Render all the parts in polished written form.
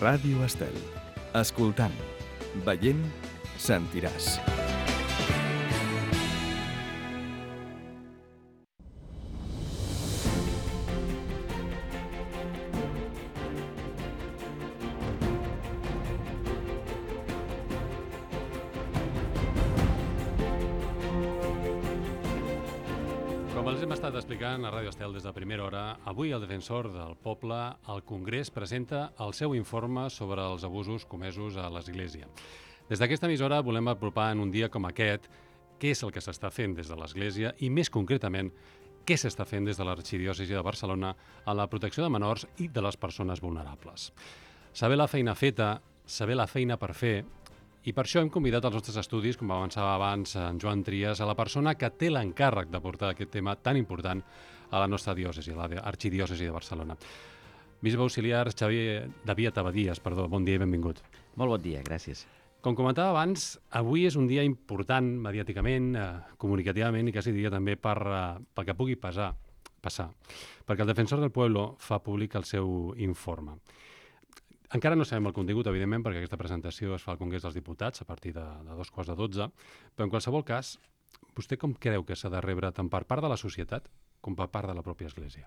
Ràdio Estel. Escoltant, veient, sentiràs. Com els hem estat explicant a Ràdio Estel des de primera hora, avui el defensor del poble al Congrés presenta el seu informe sobre els abusos comesos a l'Església. Des d'aquesta emissora volem apropar en un dia com aquest què és el que s'està fent des de l'Església i, més concretament, què s'està fent des de l'Arxidiòcesi de Barcelona a la protecció de menors i de les persones vulnerables. Saber la feina feta, saber la feina per fer. I per això hem convidat als nostres estudis, com avançava abans en Joan Trias, a la persona que té l'encàrrec de portar aquest tema tan important a la nostra diòcesi, a l'Arxidiòcesi de Barcelona. Bisbe auxiliar Xavier Daviat Abadies, bon dia i benvingut. Molt bon dia, gràcies. Com comentava abans, avui és un dia important mediàticament, comunicativament i quasi diria també pel que pugui passar, perquè el defensor del pueblo fa públic el seu informe. Encara no sabem el contingut, evidentment, perquè aquesta presentació es fa al Congrés dels Diputats a partir de 2:45, però en qualsevol cas, vostè com creu que s'ha de rebre tant per part de la societat com per part de la pròpia Església?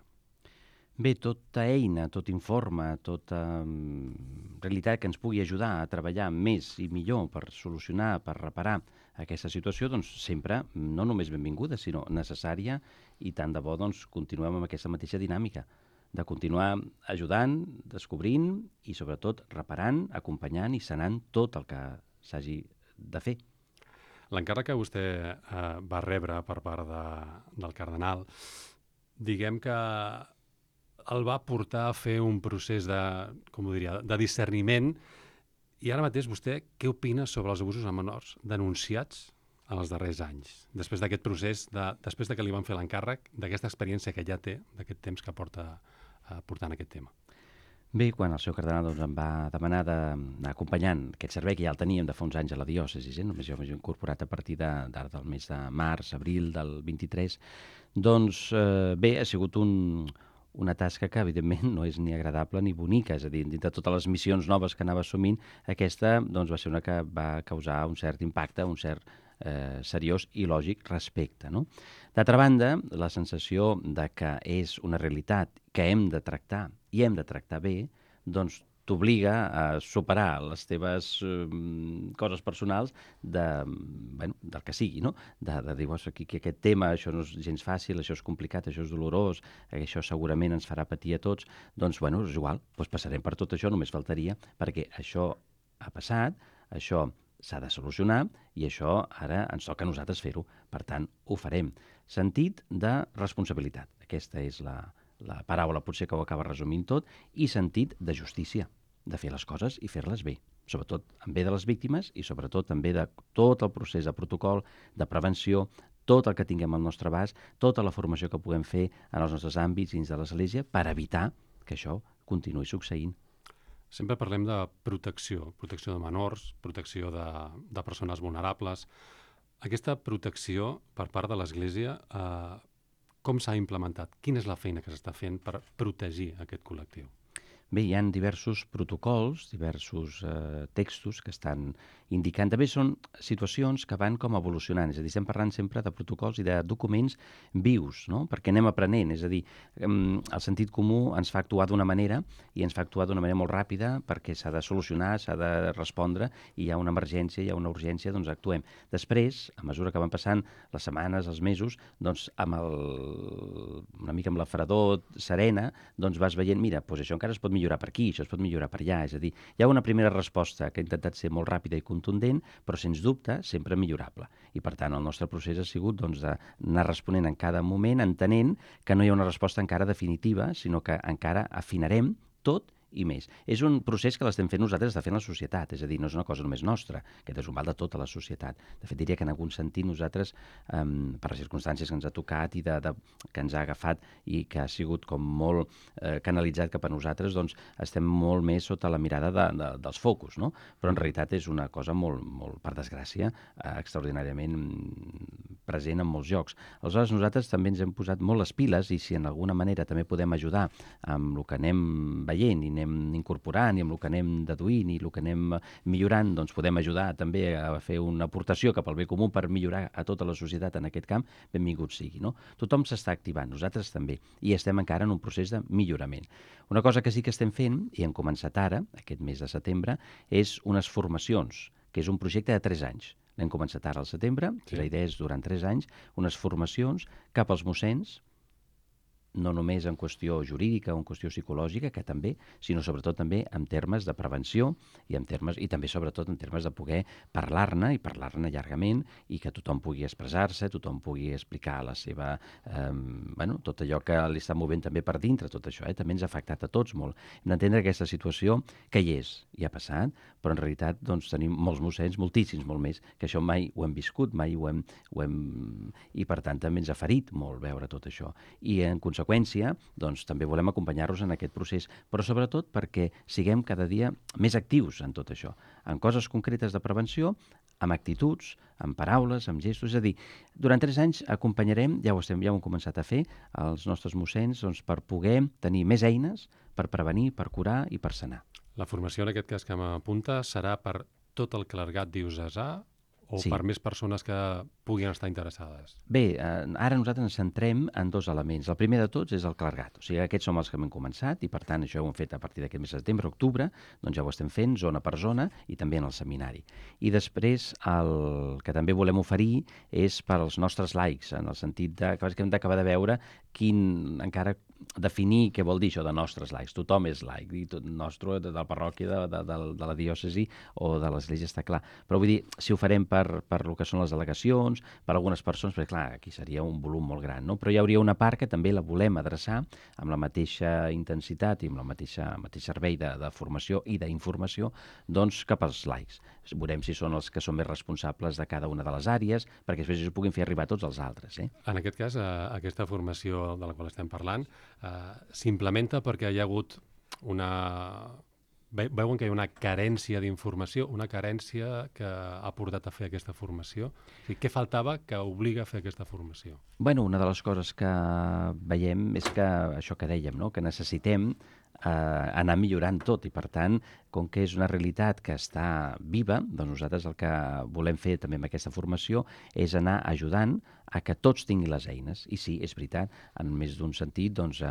Bé, tota eina, tot informe, tota realitat que ens pugui ajudar a treballar més i millor per solucionar, per reparar aquesta situació, doncs sempre, no només benvinguda, sinó necessària, i tant de bo doncs, continuem amb aquesta mateixa dinàmica, de continuar ajudant, descobrint i sobretot reparant, acompanyant i sanant tot el que s'hagi de fer. L'encàrrec que vostè va rebre per part del cardenal, diguem que el va portar a fer un procés de discerniment, i ara mateix vostè què opina sobre els abusos a menors denunciats en els darrers anys, després d'aquest procés, després que li van fer l'encàrrec, d'aquesta experiència que ja té, d'aquest temps que porta portant aquest tema? Bé, quan el seu cardenal em va demanar d'anar acompanyant aquest servei, que ja el teníem de fa uns anys a la diòcesi, només jo m'he incorporat a partir d'ara del mes de març, abril del 23, doncs bé, ha sigut una tasca que evidentment no és ni agradable ni bonica, és a dir, dintre de totes les missions noves que anava assumint, aquesta doncs, va ser una que va causar un cert impacte, un cert seriós i lògic respecte. No? D'altra banda, la sensació de que és una realitat que hem de tractar i hem de tractar bé, doncs t'obliga a superar les teves coses personals del que sigui, no? De dir, que aquest tema, això no és gens fàcil, això és complicat, això és dolorós, això segurament ens farà patir a tots, doncs, és igual, doncs passarem per tot això, només faltaria, perquè això ha passat, això s'ha de solucionar i això ara ens toca a nosaltres fer-ho. Per tant, ho farem. Sentit de responsabilitat. Aquesta és la paraula potser que ho acaba resumint tot, i sentit de justícia, de fer les coses i fer-les bé, sobretot en bé de les víctimes i sobretot també de tot el procés de protocol, de prevenció, tot el que tinguem al nostre abast, tota la formació que puguem fer en els nostres àmbits dins de l'Església per evitar que això continuï succeint. Sempre parlem de protecció de menors, protecció de persones vulnerables. Aquesta protecció per part de l'Església, com s'ha implementat? Quina és la feina que s'està fent per protegir aquest col·lectiu? Bé, hi ha diversos protocols, diversos textos que estan indicant. També són situacions que van com evolucionant, és a dir, estem parlant sempre de protocols i de documents vius, no? Perquè anem aprenent, és a dir, el sentit comú ens fa actuar d'una manera i ens fa actuar d'una manera molt ràpida perquè s'ha de solucionar, s'ha de respondre, i hi ha una emergència, hi ha una urgència, doncs actuem. Després, a mesura que van passant les setmanes, els mesos, doncs una mica amb la fredor serena, doncs vas veient, mira, doncs això encara es pot millorar per aquí, això es pot millorar per allà, és a dir, hi ha una primera resposta que ha intentat ser molt ràpida i contundent, però sens dubte sempre millorable. I per tant el nostre procés ha sigut d'anar responent en cada moment, entenent que no hi ha una resposta encara definitiva, sinó que encara afinarem tot i més. És un procés que l'estem fent nosaltres, està fent la societat, és a dir, no és una cosa només nostra, aquest és un mal de tota la societat. De fet, diria que en algun sentit nosaltres, per les circumstàncies que ens ha tocat i que ens ha agafat i que ha sigut com molt canalitzat cap a nosaltres, doncs estem molt més sota la mirada dels focus, no? Però en realitat és una cosa molt, per desgràcia, extraordinàriament present en molts llocs. Aleshores, nosaltres també ens hem posat molt les piles, i si en alguna manera també podem ajudar amb el que anem veient i anem anem incorporant i amb el que anem deduint i el que anem millorant, doncs podem ajudar també a fer una aportació cap al bé comú per millorar a tota la societat en aquest camp, benvingut sigui, no? Tothom s'està activant, nosaltres també, i estem encara en un procés de millorament. Una cosa que sí que estem fent, i hem començat ara, aquest mes de setembre, és unes formacions, que és un projecte de 3 anys. L'hem començat ara al setembre, i la idea és, durant 3 anys, unes formacions cap als mossens, no només en qüestió jurídica o en qüestió psicològica, que també, sinó sobretot també en termes de prevenció i també sobretot en termes de poder parlar-ne i parlar-ne llargament i que tothom pugui expressar-se, tothom pugui explicar la seva... tot allò que li està movent també per dintre, tot això, també ens ha afectat a tots molt. Hem d'entendre aquesta situació que hi és, i ha passat, però en realitat doncs, tenim molts mossens, moltíssims, molt més, que això mai ho hem viscut, mai ho hem... I per tant també ens ha ferit molt veure tot això. I en conseqüència, doncs, també volem acompanyar-los en aquest procés, però sobretot perquè siguem cada dia més actius en tot això, en coses concretes de prevenció, amb actituds, amb paraules, amb gestos. És a dir, durant 3 anys acompanyarem, ja ho hem començat a fer, els nostres mossens doncs, per poder tenir més eines per prevenir, per curar i per sanar. La formació, en aquest cas que m'apunta, serà per tot el clergat diocesà o per més persones que puguin estar interessades? Bé, ara nosaltres ens centrem en 2 elements. El primer de tots és el clergat. O sigui, aquests som els que hem començat i, per tant, això ho hem fet a partir d'aquest mes de setembre, octubre, doncs ja ho estem fent zona per zona i també en el seminari. I després el que també volem oferir és per als nostres laics, en el sentit que hem d'acabar de veure encara definir què vol dir això de nostres laics. Tothom és laic, i tot nostre, de la parròquia, de la diòcesi o de l'església, està clar. Però vull dir, si ho farem per el que són les delegacions, per algunes persones, perquè clar, aquí seria un volum molt gran, no? Però hi hauria una part que també la volem adreçar amb la mateixa intensitat i amb el mateix servei de formació i d'informació, doncs cap als laics. Veurem si són els que són més responsables de cada una de les àrees, perquè després ho puguin fer arribar a tots els altres. En aquest cas, aquesta formació de la qual estem parlant s'implementa perquè hi ha hagut una... Veuen que hi ha una carència d'informació, una carència que ha portat a fer aquesta formació. O sigui, què faltava que obliga a fer aquesta formació? Bueno, una de les coses que veiem és que això que dèiem, no? Que necessitem anar millorant tot i, per tant, com que és una realitat que està viva, doncs nosaltres el que volem fer també amb aquesta formació és anar ajudant a que tots tinguin les eines. I sí, és veritat, en més d'un sentit, doncs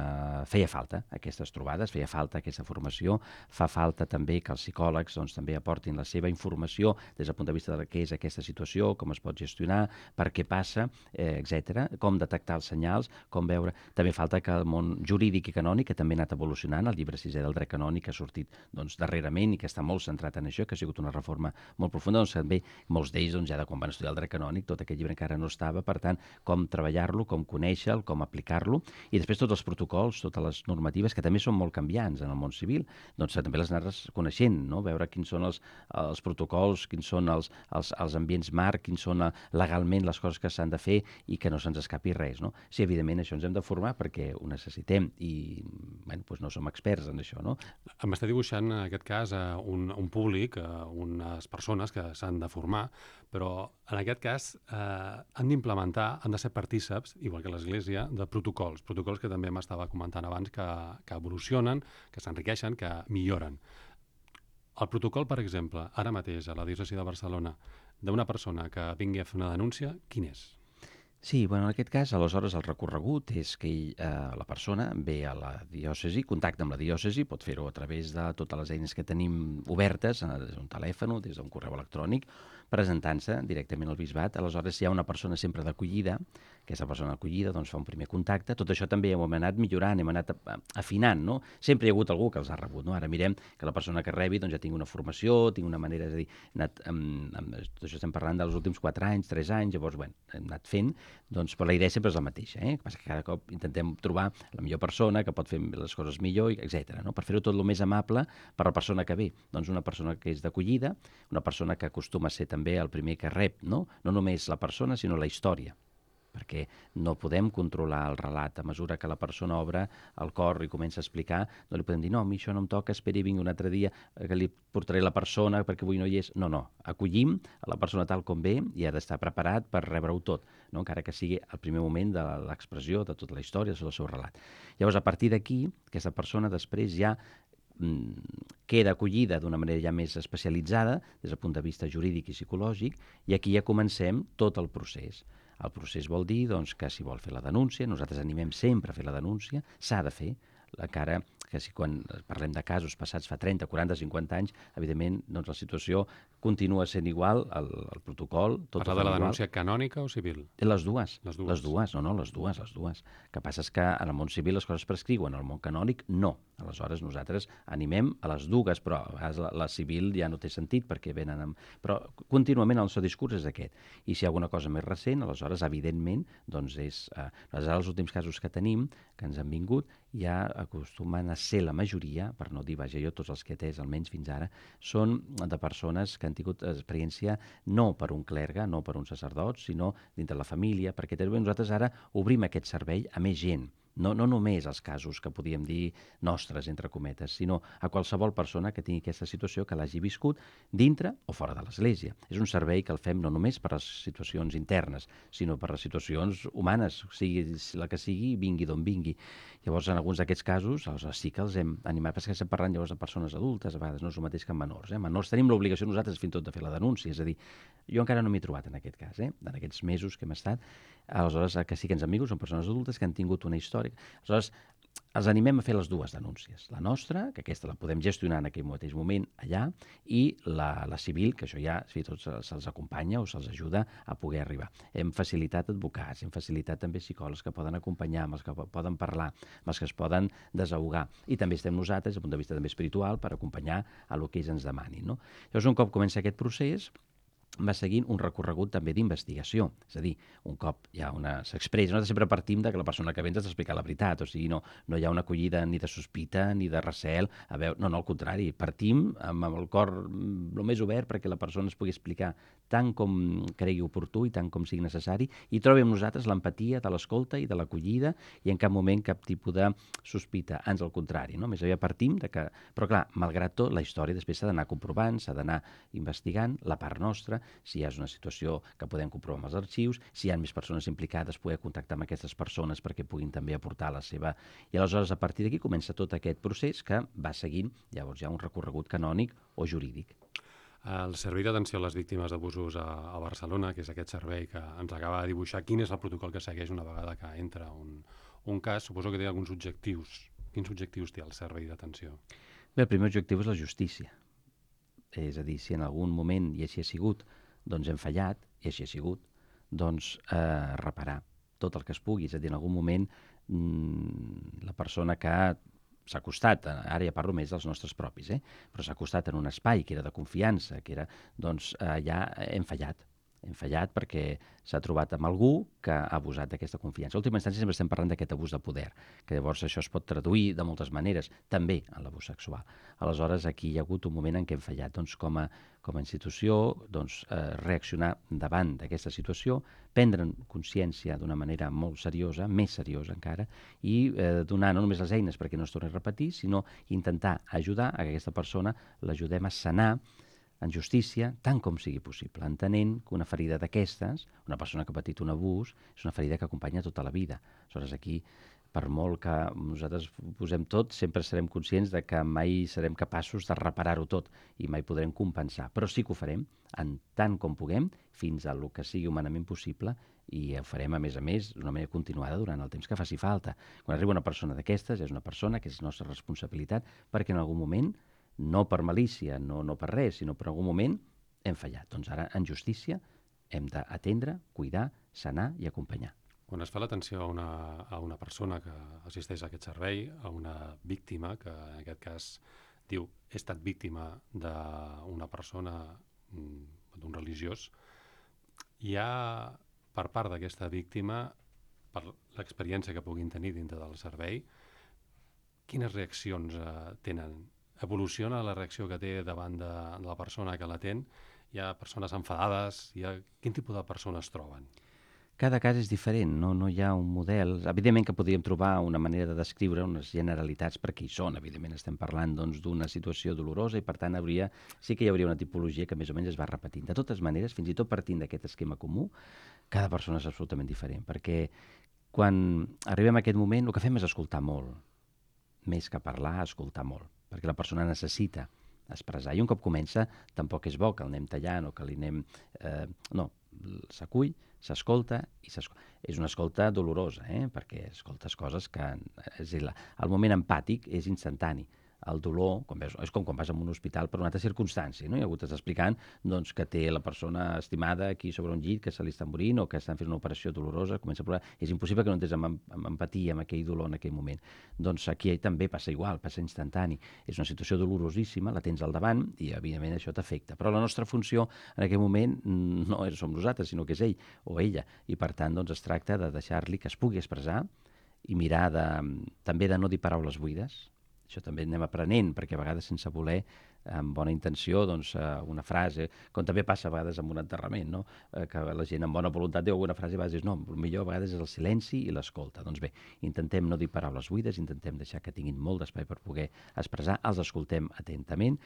feia falta aquestes trobades, feia falta aquesta formació, fa falta també que els psicòlegs doncs, també aportin la seva informació des del punt de vista de què és aquesta situació, com es pot gestionar, per què passa, etc., com detectar els senyals, com veure... També falta que el món jurídic i canònic, que també ha anat evolucionant, el llibre 6è del dret canònic ha sortit doncs, darrerament i que està molt centrat en això, que ha sigut una reforma molt profunda, doncs també molts d'ells ja de quan van estudiar el dret canònic, tot aquest llibre encara no estava, per tant, com treballar-lo, com conèixer-lo, com aplicar-lo, i després tots els protocols, totes les normatives, que també són molt canviants en el món civil, doncs també les anar coneixent, no? Veure quins són els protocols, quins són els ambients marc, quins són legalment les coses que s'han de fer i que no se'ns escapi res, no? Sí, evidentment, això ens hem de formar perquè ho necessitem i doncs no som experts en això, no? Em està dibuixant, en aquest cas, un públic, unes persones que s'han de formar, però en aquest cas han d'implementar, han de ser partíceps, igual que l'Església, de protocols que també m'estava comentant abans, que evolucionen, que s'enriqueixen, que milloren. El protocol, per exemple, ara mateix a la diòcesi de Barcelona, d'una persona que vingui a fer una denúncia, quin és? Sí, bueno, en aquest cas, aleshores, el recorregut és que la persona ve a la diòcesi, contacta amb la diòcesi, pot fer-ho a través de totes les eines que tenim obertes, des d'un telèfon, des d'un correu electrònic, presentant-se directament al bisbat. Aleshores, hi ha una persona sempre d'acollida, aquesta persona d'acollida doncs, fa un primer contacte. Tot això també ho hem anat millorant, hem anat afinant, no? Sempre hi ha hagut algú que els ha rebut, no? Ara mirem que la persona que rebi doncs, ja tingui una formació, tingui una manera, és a dir, tot això estem parlant dels últims 4 anys, 3 anys, llavors, bueno, hem anat fent, doncs, però la idea sempre és la mateixa, que passa que cada cop intentem trobar la millor persona que pot fer les coses millor, etc. No? Per fer-ho tot el més amable per la persona que ve. Doncs una persona que és d'acollida, una persona que acostuma a ser també el primer que rep, no només la persona, sinó la història, perquè no podem controlar el relat. A mesura que la persona obre el cor i comença a explicar, no li podem dir, no, a mi això no em toca, esperi, vingui un altre dia, que li portaré la persona perquè avui no hi és. No, acollim a la persona tal com ve i ha d'estar preparat per rebre-ho tot, no? Encara que sigui el primer moment de l'expressió de tota la història, del seu relat. Llavors, a partir d'aquí, aquesta persona després ja queda acollida d'una manera ja més especialitzada des del punt de vista jurídic i psicològic, i aquí ja comencem tot el procés. El procés vol dir doncs, que si vol fer la denúncia, nosaltres animem sempre a fer la denúncia, s'ha de fer, encara que si quan parlem de casos passats fa 30, 40, 50 anys, evidentment doncs, la situació continua sent igual, el protocol... Tot Parla de la denúncia canònica o civil? Les dues. Les dues. Les dues. El que passa és que en el món civil les coses prescriuen, en el món canònic no. Aleshores nosaltres animem a les dues, però a vegades la civil ja no té sentit perquè venen amb... Però contínuament el seu discurs és aquest. I si hi ha alguna cosa més recent, aleshores, evidentment, doncs és... Aleshores, els últims casos que tenim, que ens han vingut, ja acostumen a ser la majoria, per no dir, vaja, jo tots els que he atès, almenys fins ara, són de persones que han tingut experiència no per un clergue, no per un sacerdot, sinó dintre la família, perquè també nosaltres ara obrim aquest servei a més gent. No només els casos que podíem dir nostres, entre cometes, sinó a qualsevol persona que tingui aquesta situació, que l'hagi viscut dintre o fora de l'Església. És un servei que el fem no només per les situacions internes, sinó per les situacions humanes, sigui la que sigui, vingui d'on vingui. Llavors, en alguns d'aquests casos, sí que els hem animat, perquè estem parlant llavors de persones adultes, a vegades no és el mateix que en menors. Menors tenim l'obligació nosaltres fins i tot de fer la denúncia, és a dir, jo encara no m'he trobat en aquest cas, en aquests mesos que hem estat. Aleshores, que sí que ens han vingut, són persones adultes que han tingut una història. Aleshores, els animem a fer les dues denúncies. La nostra, que aquesta la podem gestionar en aquell mateix moment allà, i la civil, que això ja tots se'ls acompanya o se'ls ajuda a poder arribar. Hem facilitat advocats, hem facilitat també psicòlegs que poden acompanyar, amb els que poden parlar, amb els que es poden desahogar. I també estem nosaltres, des del punt de vista també espiritual, per acompanyar a el que ells ens demanin. No? Llavors, un cop comença aquest procés, va seguint un recorregut també d'investigació. És a dir, un cop ja s'expressa, nosaltres sempre partim de que la persona que ve ens ha d'explicar la veritat, o sigui, no hi ha una acollida ni de sospita ni de recel. No, al contrari, partim amb el cor el més obert perquè la persona es pugui explicar tant com cregui oportú i tant com sigui necessari, i trobi amb nosaltres l'empatia de l'escolta i de l'acollida, i en cap moment cap tipus de sospita, ans al contrari, no? Més aviat partim de que... Però clar, malgrat tot, la història després s'ha d'anar comprovant, s'ha d'anar investigant, la part nostra, si hi ha una situació que podem comprovar amb els arxius, si hi ha més persones implicades, poder contactar amb aquestes persones perquè puguin també aportar la seva... I aleshores, a partir d'aquí, comença tot aquest procés que va seguint, llavors hi ha un recorregut canònic o jurídic. El Servei d'Atenció a les Víctimes d'Abusos a Barcelona, que és aquest servei que ens acaba de dibuixar, quin és el protocol que segueix una vegada que entra un cas? Suposo que té alguns objectius. Quins objectius té el Servei d'Atenció? Bé, el primer objectiu és la justícia. És a dir, si en algun moment, i així ha sigut, doncs hem fallat, i així ha sigut, doncs reparar tot el que es pugui. És a dir, en algun moment la persona que s'ha acostat, ara ja parlo més dels nostres propis, però s'ha acostat en un espai que era de confiança, que era, doncs ja hem fallat perquè s'ha trobat amb algú que ha abusat d'aquesta confiança. A última instància sempre estem parlant d'aquest abús de poder, que llavors això es pot traduir de moltes maneres, també en l'abús sexual. Aleshores, aquí hi ha hagut un moment en què hem fallat. Doncs, com a institució, reaccionar davant d'aquesta situació, prendre consciència d'una manera molt seriosa, més seriosa encara, i donar no només les eines perquè no es torni a repetir, sinó intentar ajudar a que aquesta persona l'ajudem a sanar en justícia, tant com sigui possible, entenent que una ferida d'aquestes, una persona que ha patit un abús, és una ferida que acompanya tota la vida. Aleshores, aquí, per molt que nosaltres posem tot, sempre serem conscients de que mai serem capaços de reparar-ho tot i mai podrem compensar, però sí que ho farem en tant com puguem, fins a lo que sigui humanament possible, i ho farem, a més, d'una manera continuada durant el temps que faci falta. Quan arriba una persona d'aquestes, és una persona que és nostra responsabilitat, perquè en algun moment, no per malícia, no per res, sinó per algun moment hem fallat. Doncs ara, en justícia, hem d'atendre, cuidar, sanar i acompanyar. Quan es fa l'atenció a una persona que assisteix a aquest servei, a una víctima, que en aquest cas diu he estat víctima d'una persona, d'un religiós, hi ha per part d'aquesta víctima, per l'experiència que puguin tenir dintre del servei, quines reaccions tenen? Evoluciona la reacció que té davant de la persona que l'atén? Hi ha persones enfadades? Quin tipus de persones troben? Cada cas és diferent, no hi ha un model. Evidentment que podríem trobar una manera de descriure unes generalitats, perquè hi són, evidentment estem parlant d'una situació dolorosa i per tant sí que hi hauria una tipologia que més o menys es va repetint. De totes maneres, fins i tot partint d'aquest esquema comú, cada persona és absolutament diferent, perquè quan arribem a aquest moment el que fem és escoltar molt, més que parlar, escoltar molt, perquè la persona necessita expressar. I un cop comença, tampoc és bo que el anem tallant o que li anem... no, s'acull, s'escolta i s'escolta. És una escolta dolorosa, perquè escoltes coses que... És a dir, el moment empàtic és instantani. El dolor, és com quan vas a un hospital per una altra circumstància, no? I algú t'està explicant doncs, que té la persona estimada aquí sobre un llit, que se li està morint o que estan fent una operació dolorosa, comença a plorar. És impossible que no entres amb empatia amb aquell dolor en aquell moment. Doncs aquí també passa igual, passa instantani. És una situació dolorosíssima, la tens al davant i, evidentment, això t'afecta. Però la nostra funció en aquell moment no som nosaltres, sinó que és ell o ella. I, per tant, doncs, es tracta de deixar-li que es pugui expressar i mirar també de no dir paraules buides. Això també anem aprenent, perquè a vegades sense voler, amb bona intenció, doncs, una frase, com també passa a vegades amb un enterrament, no? Que la gent amb bona voluntat diu alguna frase i a vegades dius, no, el millor a vegades és el silenci i l'escolta. Doncs bé, intentem no dir paraules buides, intentem deixar que tinguin molt d'espai per poder expressar, els escoltem atentament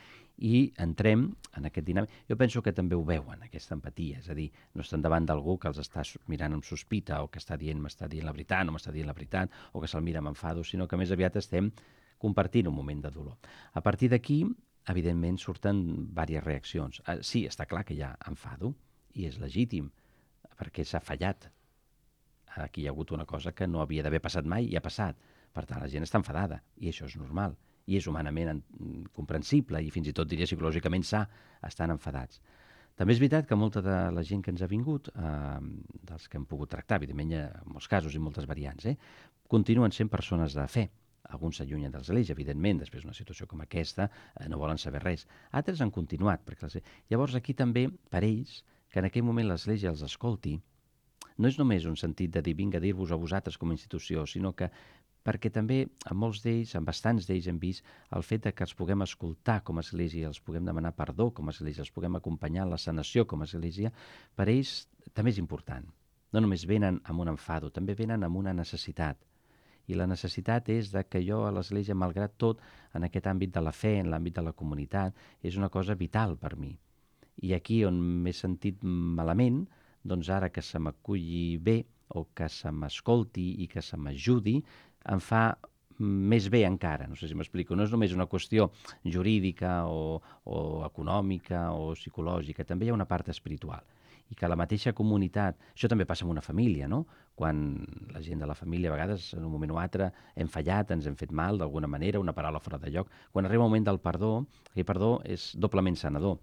i entrem en aquest dinàmic. Jo penso que també ho veuen, aquesta empatia, és a dir, no estan davant d'algú que els està mirant amb sospita o que està dient, m'està dient la veritat, no m'està dient la veritat, o que se'l mira amb enfado, sinó que més aviat estem compartint un moment de dolor. A partir d'aquí, evidentment, surten diverses reaccions. Sí, està clar que hi ha enfado, i és legítim, perquè s'ha fallat. Aquí hi ha hagut una cosa que no havia d'haver passat mai i ha passat. Per tant, la gent està enfadada, i això és normal, i és humanament comprensible, i fins i tot, diria, psicològicament sa, estan enfadats. També és veritat que molta de la gent que ens ha vingut, dels que hem pogut tractar, evidentment hi ha molts casos i moltes variants, continuen sent persones de fe. Alguns s'allunyen de l'Església, evidentment, després d'una situació com aquesta, no volen saber res. Altres han continuat. Llavors, aquí també, per ells, que en aquell moment l'Església els escolti, no és només un sentit de dir vinga a dir-vos a vosaltres com a institució, sinó que perquè també en molts d'ells, en bastants d'ells hem vist el fet de que els puguem escoltar com a Església, els puguem demanar perdó com a Església, els puguem acompanyar en la sanació com a Església, per ells també és important. No només venen amb un enfado, també venen amb una necessitat. I la necessitat és de que jo a l'Església, malgrat tot, en aquest àmbit de la fe, en l'àmbit de la comunitat, és una cosa vital per mi. I aquí on m'he sentit malament, doncs ara que se m'aculli bé o que se m'escolti i que se m'ajudi, em fa més bé encara. No sé si m'explico. No és només una qüestió jurídica o econòmica o psicològica. També hi ha una part espiritual. I que la mateixa comunitat... Això també passa en una família, no? Quan la gent de la família, a vegades, en un moment o altre, hem fallat, ens hem fet mal d'alguna manera, una paraula fora de lloc. Quan arriba el moment del perdó, aquell perdó és doblement sanador.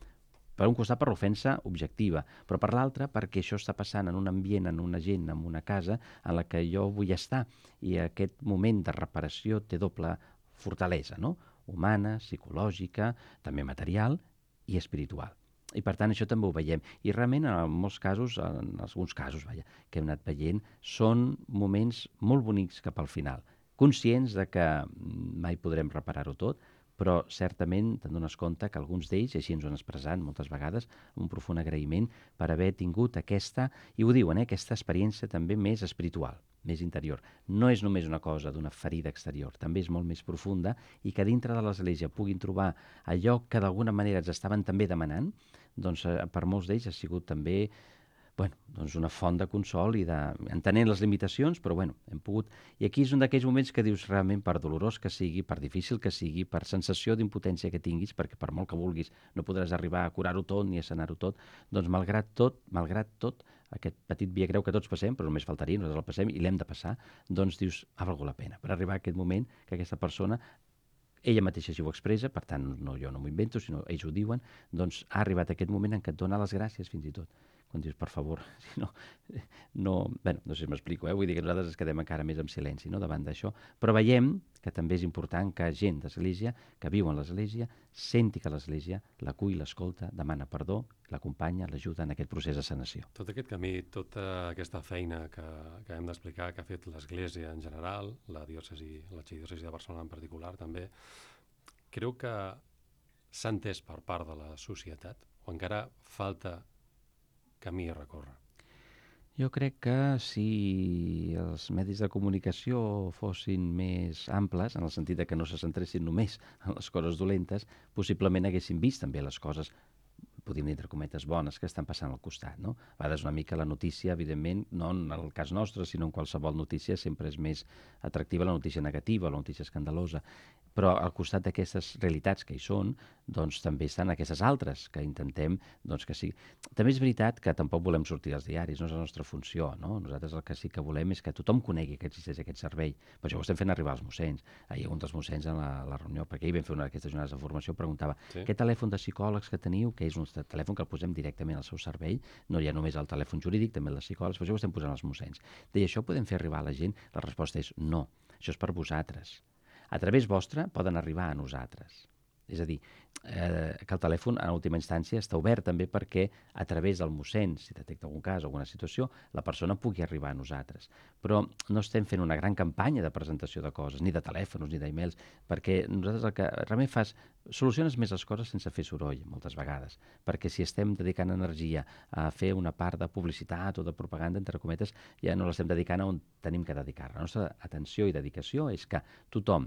Per un costat, per l'ofensa objectiva, però per l'altre, perquè això està passant en un ambient, en una gent, en una casa, en la que jo vull estar. I aquest moment de reparació té doble fortalesa, no? Humana, psicològica, també material i espiritual. I, per tant, això també ho veiem. I realment, en molts casos, en alguns casos, que hem anat veient, són moments molt bonics cap al final. Conscients de que mai podrem reparar-ho tot, però certament te'n dones compte que alguns d'ells, així ens ho han expressat moltes vegades, amb un profund agraïment per haver tingut aquesta, i ho diuen, aquesta experiència també més espiritual, més interior. No és només una cosa d'una ferida exterior, també és molt més profunda i que dintre de l'Església puguin trobar allò que d'alguna manera ens estaven també demanant, doncs per molts d'ells ha sigut també doncs una font de consol i entenent les limitacions, però hem pogut... I aquí és un d'aquells moments que dius realment, per dolorós que sigui, per difícil que sigui, per sensació d'impotència que tinguis, perquè per molt que vulguis no podràs arribar a curar-ho tot ni a sanar-ho tot, doncs malgrat tot, aquest petit via creu que tots passem, però només faltaria, nosaltres el passem i l'hem de passar, doncs dius, ha valgut la pena, per arribar a aquest moment que aquesta persona, ella mateixa si ho expressa, per tant jo no m'ho invento, sinó ells ho diuen, doncs ha arribat aquest moment en què et dona les gràcies fins i tot. Quan dius, per favor, si no sé si m'explico, vull dir que nosaltres ens quedem encara més en silenci, no?, davant d'això, però veiem que també és important que gent d'Església, que viu en l'Església, senti que l'Església l'acull, l'escolta, demana perdó, l'acompanya, l'ajuda en aquest procés de sanació. Tot aquest camí, tota aquesta feina que hem d'explicar, que ha fet l'Església en general, l'arxidiòcesi de Barcelona en particular també, creu que s'ha entès per part de la societat o encara falta camí a recórrer? Jo crec que si els medis de comunicació fossin més amples, en el sentit de que no se centressin només en les coses dolentes, possiblement haguessin vist també les coses, podríem dir entre cometes, bones que estan passant al costat, no? A vegades una mica la notícia, evidentment, no en el cas nostre, sinó en qualsevol notícia, sempre és més atractiva la notícia negativa, la notícia escandalosa. però al costat d'aquestes realitats que hi són, doncs també estan aquestes altres que intentem doncs, que sí. També és veritat que tampoc volem sortir als diaris, no és la nostra funció, no? Nosaltres el que sí que volem és que tothom conegui que existeix aquest servei. Per això ho estem fent arribar als mossens. Ahir un dels mossens en la reunió, perquè ahir vam fer una d'aquestes jornades de formació, preguntava què telèfon de psicòlegs que teniu, que és un telèfon que el posem directament al seu servei, no hi ha només el telèfon jurídic, també el de psicòlegs, per això ho estem posant als mossens. Deia, això podem fer arribar a la gent? La resposta és no, això és per vosaltres. A través vostre poden arribar a nosaltres. És a dir, que el telèfon, en última instància, està obert també perquè a través del mossèn, si detecta algun cas o alguna situació, la persona pugui arribar a nosaltres. Però no estem fent una gran campanya de presentació de coses, ni de telèfons, ni d'emails, perquè nosaltres el que realment fas, soluciones més les coses sense fer soroll, moltes vegades. Perquè si estem dedicant energia a fer una part de publicitat o de propaganda, entre cometes, ja no l'estem dedicant a on tenim que dedicar. La nostra atenció i dedicació és que tothom,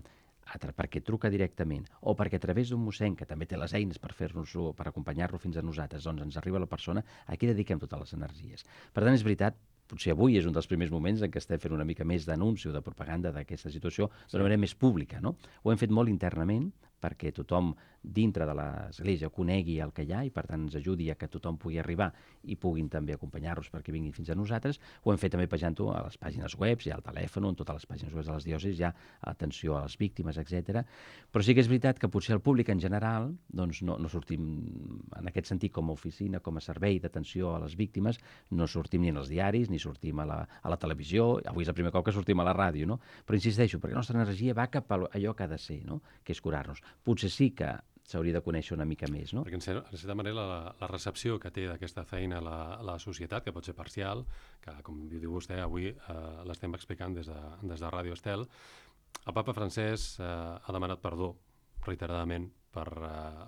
perquè truca directament o perquè a través d'un mossèn que també té les eines per fer-nos-ho, per acompanyar-lo fins a nosaltres, doncs ens arriba la persona, aquí dediquem totes les energies. Per tant, és veritat, potser avui és un dels primers moments en què estem fent una mica més d'anunci o de propaganda d'aquesta situació d'una manera més pública, no? Ho hem fet molt internament perquè tothom dintre de l'Església conegui el que hi ha i per tant ens ajudi a que tothom pugui arribar i puguin també acompanyar-los perquè vinguin fins a nosaltres. Ho hem fet també pejant-ho a les pàgines web, hi ha el telèfon, en totes les pàgines web de les diòcesis hi ha atenció a les víctimes, etc. Però sí que és veritat que potser el públic en general doncs no sortim en aquest sentit com a oficina, com a servei d'atenció a les víctimes, no sortim ni en els diaris ni sortim a la televisió, avui és el primer cop que sortim a la ràdio, no? Però insisteixo, perquè la nostra energia va cap a allò que ha de ser, no? Que és curar-nos. Potser sí que s'hauria de conèixer una mica més, no? Perquè, en certa manera, la recepció que té d'aquesta feina la societat, que pot ser parcial, que, com diu vostè, avui l'estem explicant des de Ràdio Estel, el papa francès ha demanat perdó reiteradament per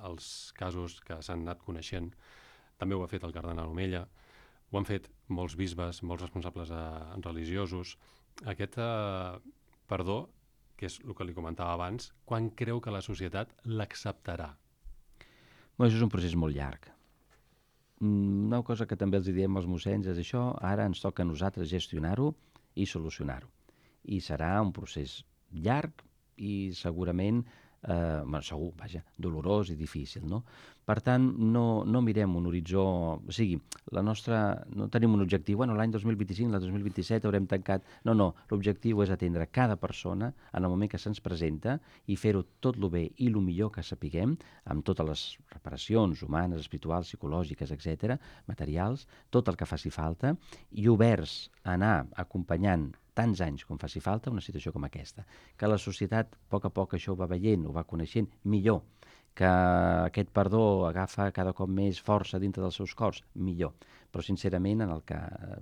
els casos que s'han anat coneixent. També ho ha fet el cardenal Omella, ho han fet molts bisbes, molts responsables religiosos. Aquest perdó, que és el que li comentava abans, quan creu que la societat l'acceptarà? Això és un procés molt llarg. Una cosa que també els diem als mossens és això, ara ens toca a nosaltres gestionar-ho i solucionar-ho. I serà un procés llarg i segurament, segur, vaja, dolorós i difícil, no? Per tant, no mirem un horitzó, o sigui, no tenim un objectiu, bueno, l'any 2025, l'any 2027 haurem tancat... No, l'objectiu és atendre cada persona en el moment que se'ns presenta i fer-ho tot lo bé i lo millor que sapiguem, amb totes les reparacions humanes, espirituals, psicològiques, etc., materials, tot el que faci falta, i oberts a anar acompanyant tants anys com faci falta una situació com aquesta. Que la societat, a poc això ho va veient, ho va coneixent millor, que aquest perdó agafa cada cop més força dintre dels seus cors, millor. Però, sincerament, en el que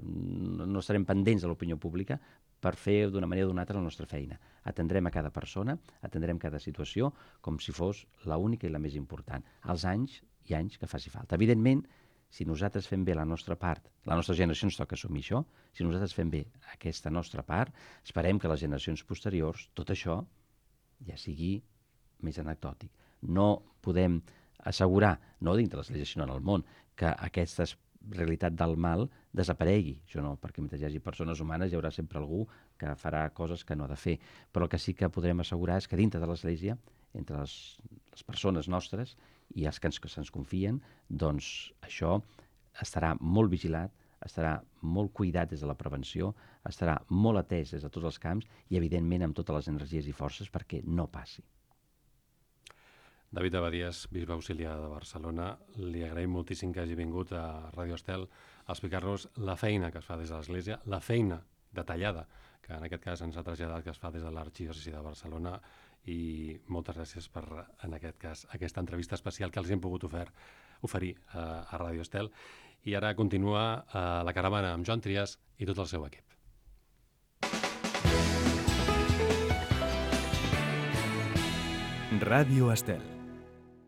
no estarem pendents de l'opinió pública per fer d'una manera o d'una altra la nostra feina. Atendrem a cada persona, atendrem cada situació com si fos l'única i la més important. Els anys i anys que faci falta. Evidentment, si nosaltres fem bé la nostra part, la nostra generació ens toca assumir això, si nosaltres fem bé aquesta nostra part, esperem que les generacions posteriors, tot això ja sigui més anecdòtic. No podem assegurar, no dintre l'Església sinó en el món, que aquesta realitat del mal desaparegui. Això no, perquè mentre hi hagi persones humanes hi haurà sempre algú que farà coses que no ha de fer. Però el que sí que podrem assegurar és que dintre de l'Església, entre les persones nostres i els que se'ns confien, doncs això estarà molt vigilat, estarà molt cuidat des de la prevenció, estarà molt atès des de tots els camps i, evidentment, amb totes les energies i forces perquè no passi. David Abadías, bisbe auxiliar de Barcelona, li agraïm moltíssim que hagi vingut a Ràdio Estel a explicar-nos la feina que es fa des de l'Església, la feina detallada, que en aquest cas ens ha traslladat que es fa des de l'Arxidiòcesi de Barcelona, i moltes gràcies per, en aquest cas, aquesta entrevista especial que els hem pogut oferir a Ràdio Estel. I ara continua la caravana amb Joan Trias i tot el seu equip. Ràdio Estel.